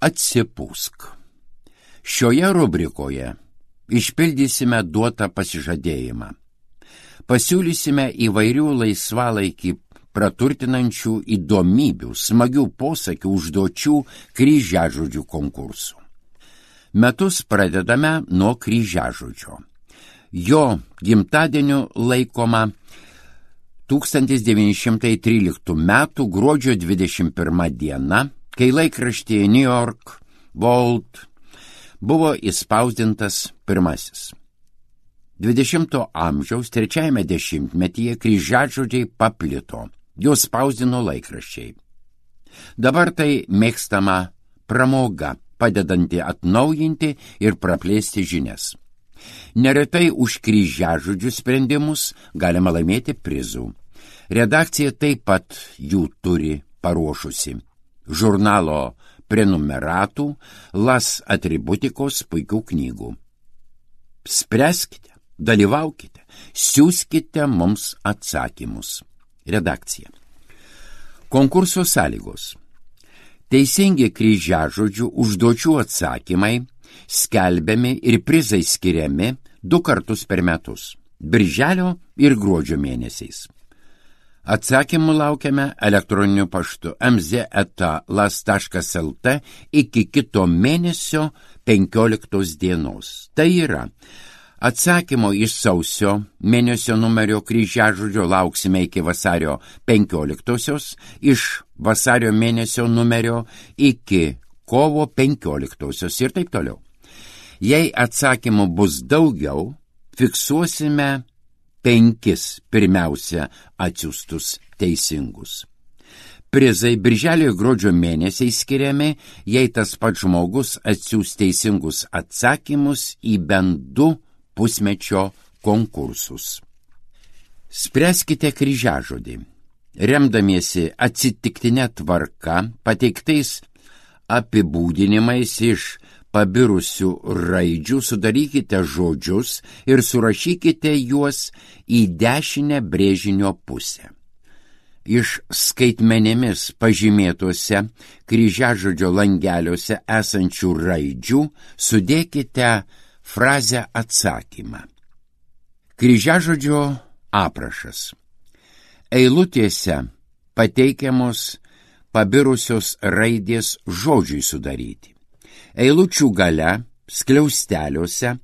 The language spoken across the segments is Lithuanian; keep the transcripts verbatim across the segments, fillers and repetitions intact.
Atsipūsk. Šioje rubrikoje išpildysime duotą pasižadėjimą. Pasiūlysime įvairių laisvalaikį praturtinančių įdomybių, smagių posakių, užduočių, kryžiažodžių konkursų. Metus pradedame nuo kryžiažodžio. Jo gimtadieniu laikoma tūkstantis devyni šimtai tryliktų metų gruodžio dvidešimt pirma diena, kai laikraštyje New York World buvo įspausdintas pirmasis. dvidešimto amžiaus trečiajame dešimtmetyje kryžiažodžiai paplito, juos spausdino laikraščiai. Dabar tai mėgstama pramoga, padedanti atnaujinti ir praplėsti žinias. Neretai už kryžiažodžių sprendimus galima laimėti prizų. Redakcija taip pat jų turi paruošusi. Žurnalo prenumeratų, las atributikos puikių knygų. Spręskite, dalyvaukite, siųskite mums atsakymus. Redakcija. Konkurso sąlygos. Teisingi kryžiažodžių užduočių atsakymai skelbiami ir prizai skiriami du kartus per metus – birželio ir gruodžio mėnesiais. Atsakymų laukiame elektroniniu paštu em zet eta las taškas el te iki kito mėnesio penkioliktos dienos. Tai yra, atsakymo iš sausio mėnesio numerio kryžiažodžio lauksime iki vasario penkioliktosios, iš vasario mėnesio numerio iki kovo penkioliktosios ir taip toliau. Jei atsakymų bus daugiau, fiksuosime penkis pirmiausia atsiųstus teisingus. Prizai birželio ir gruodžio mėnesiai skiriami, jei tas pats žmogus atsiųs teisingus atsakymus į bent du pusmečio konkursus. Spręskite kryžiažodį. Remdamiesi atsitiktinė tvarka, pateiktais apibūdinimais iš pabirusių raidžių sudarykite žodžius ir surašykite juos į dešinę brėžinio pusę. Iš skaitmenėmis pažymėtuose kryžiažodžio langeliuose esančių raidžių sudėkite frazę atsakymą. Kryžiažodžio aprašas. Eilutėse pateikiamos pabirusios raidės žodžiui sudaryti. Eilučių gale, skliausteliuose,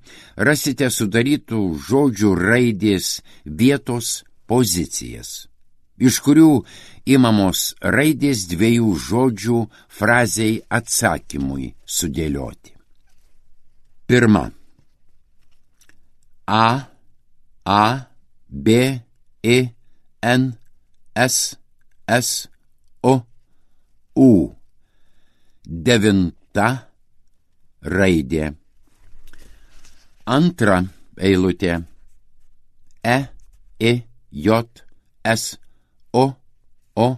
rasite sudarytų žodžių raidės vietos pozicijas, iš kurių imamos raidės dviejų žodžių frazei atsakymui sudėlioti. Pirma. A, A, B, E, N, S, S, O, U. Devinta raidė. Antra eilutė. E, E, J, S, O, O,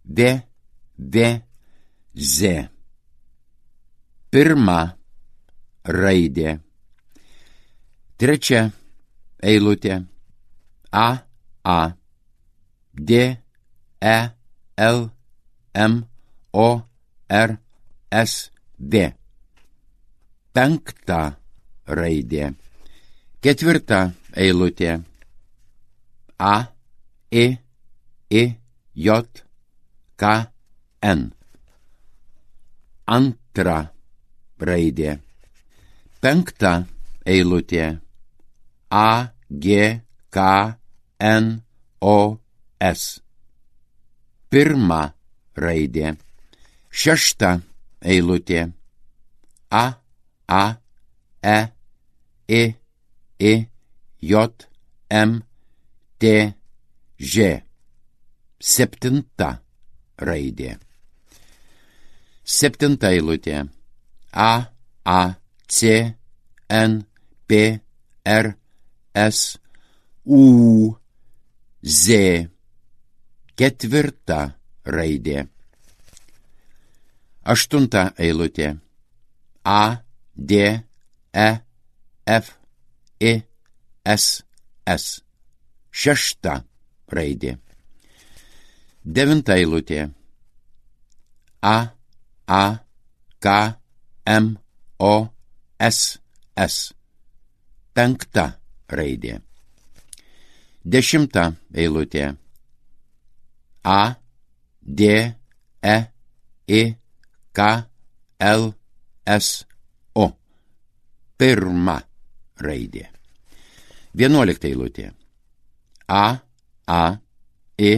V, V, Z. Pirma raidė. Trečia eilutė. A, A, D, E, L, M, O, R, S, V. Penkta raidė. Ketvirta eilutė. A, E, E, J, K, N. Antra raidė. Penkta eilutė. A, G, K, N, O, S. Pirma raidė. Šešta eilutė. A, A, E, E, E, J, M, T, Ž. Septinta raidė. Septinta eilutė. A, A, C, N, P, R, S, U, Z. Ketvirta raidė. Aštunta eilutė. A, D, E, F, E, S, S. Šešta raidė. Devinta eilutė. A, A, K, M, O, S, S. Penkta raidė. Dešimta eilutė. A, D, E, I, K, L, S, O. Pirma raidė. Vienuolikta eilutė. A, A, I,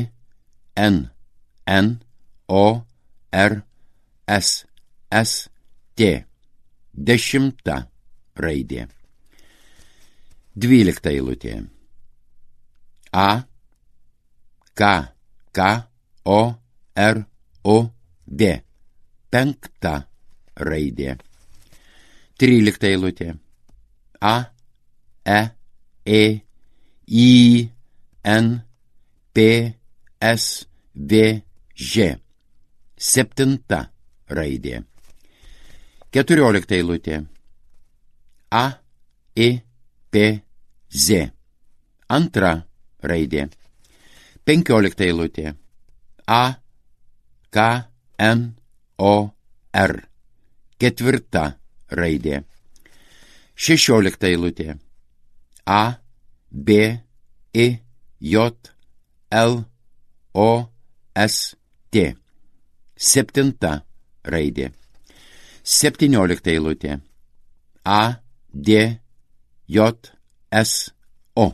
N, N, O, R, S, S, T. Dešimta raidė. Dvylikta eilutė. A, K, K, O, R, O, D. Penkta raidė. Trylikta eilutė. A, E, E, I, N, P, S, V, Ž. Septinta raidė. Keturiolikta eilutė. A, I, P, Z. Antra raidė. Penkiolikta eilutė. A, K, N, O, R. Ketvirta raidė. Šešiolikta eilutė. A, B, I, J, L, O, S, T. Septinta raidė. Septyniolikta eilutė. A, D, J, S, O.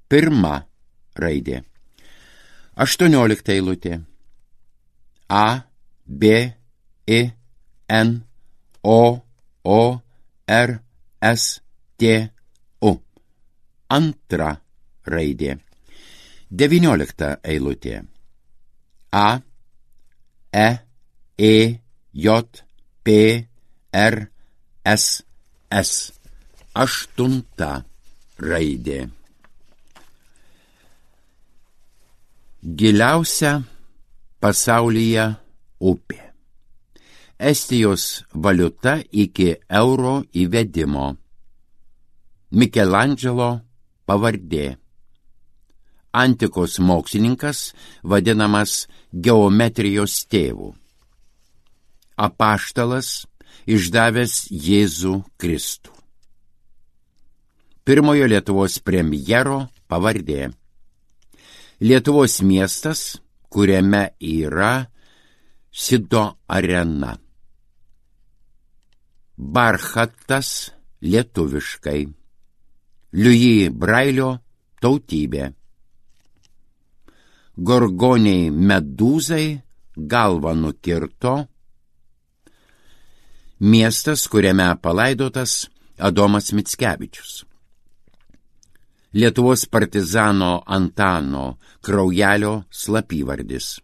Pirma raidė. Aštuoniolikta eilutė. A, B, I, N, O, O, R, S, T, U. Antra raidė. Devyniolikta eilutė. A, E, E, J, P, R, S, S. Aštunta raidė. Giliausia pasaulyje upė. Estijos valiuta iki euro įvedimo. Mikelandželo pavardė. Antikos mokslininkas vadinamas geometrijos tėvu. Apaštalas išdavęs Jėzų Kristų. Pirmojo Lietuvos premjero pavardė. Lietuvos miestas, kuriame yra Sido arena. Barchatas lietuviškai. Liuji Brailio tautybė. Gorgoniai medūzai galvą nukirto. Miestas, kuriame palaidotas Adomas Mickevičius. Lietuvos partizano Antano Kraujelio slapyvardis.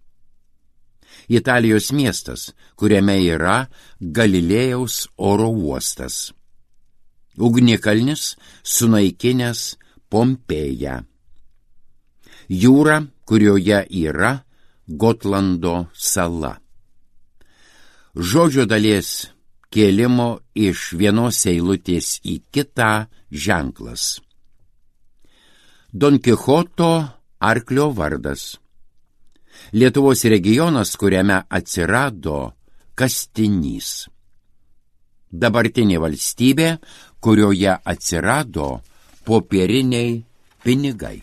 Italijos miestas, kuriame yra Galilėjaus oro uostas. Ugnikalnis sunaikinęs Pompėją. Jūra, kurioje yra Gotlando sala. Žodžio dalies kėlimo iš vienos eilutės į kitą ženklas. Don Kichoto arklio vardas. Lietuvos regionas, kuriame atsirado kastinys. Dabartinė valstybė, kurioje atsirado popieriniai pinigai.